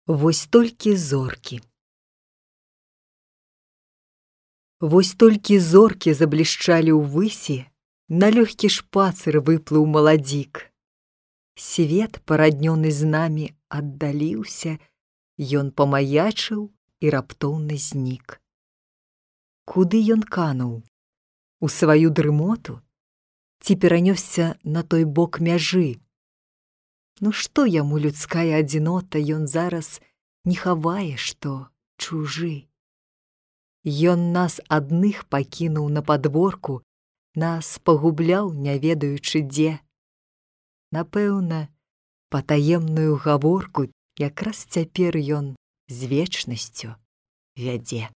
Вось толькі зоркі. Вось толькі зоркі заблішчалі ўвысі, на лёгкі шпацыр выплыў маладзік. Свет, параднёны з намі, аддаліўся, ён памаячыў і раптоўна знік. Куды ён кануў? У сваю дрымоту? Ці перанёсся на той бок мяжы? Ну што яму людская адзінота, ён зараз не хавае, што чужы. Ён нас адных пакінуў на падворку, нас пагубляў, не ведаючы дзе. Напэўна, патаемную гаворку якраз цяпер ён з вечнасцю вядзе.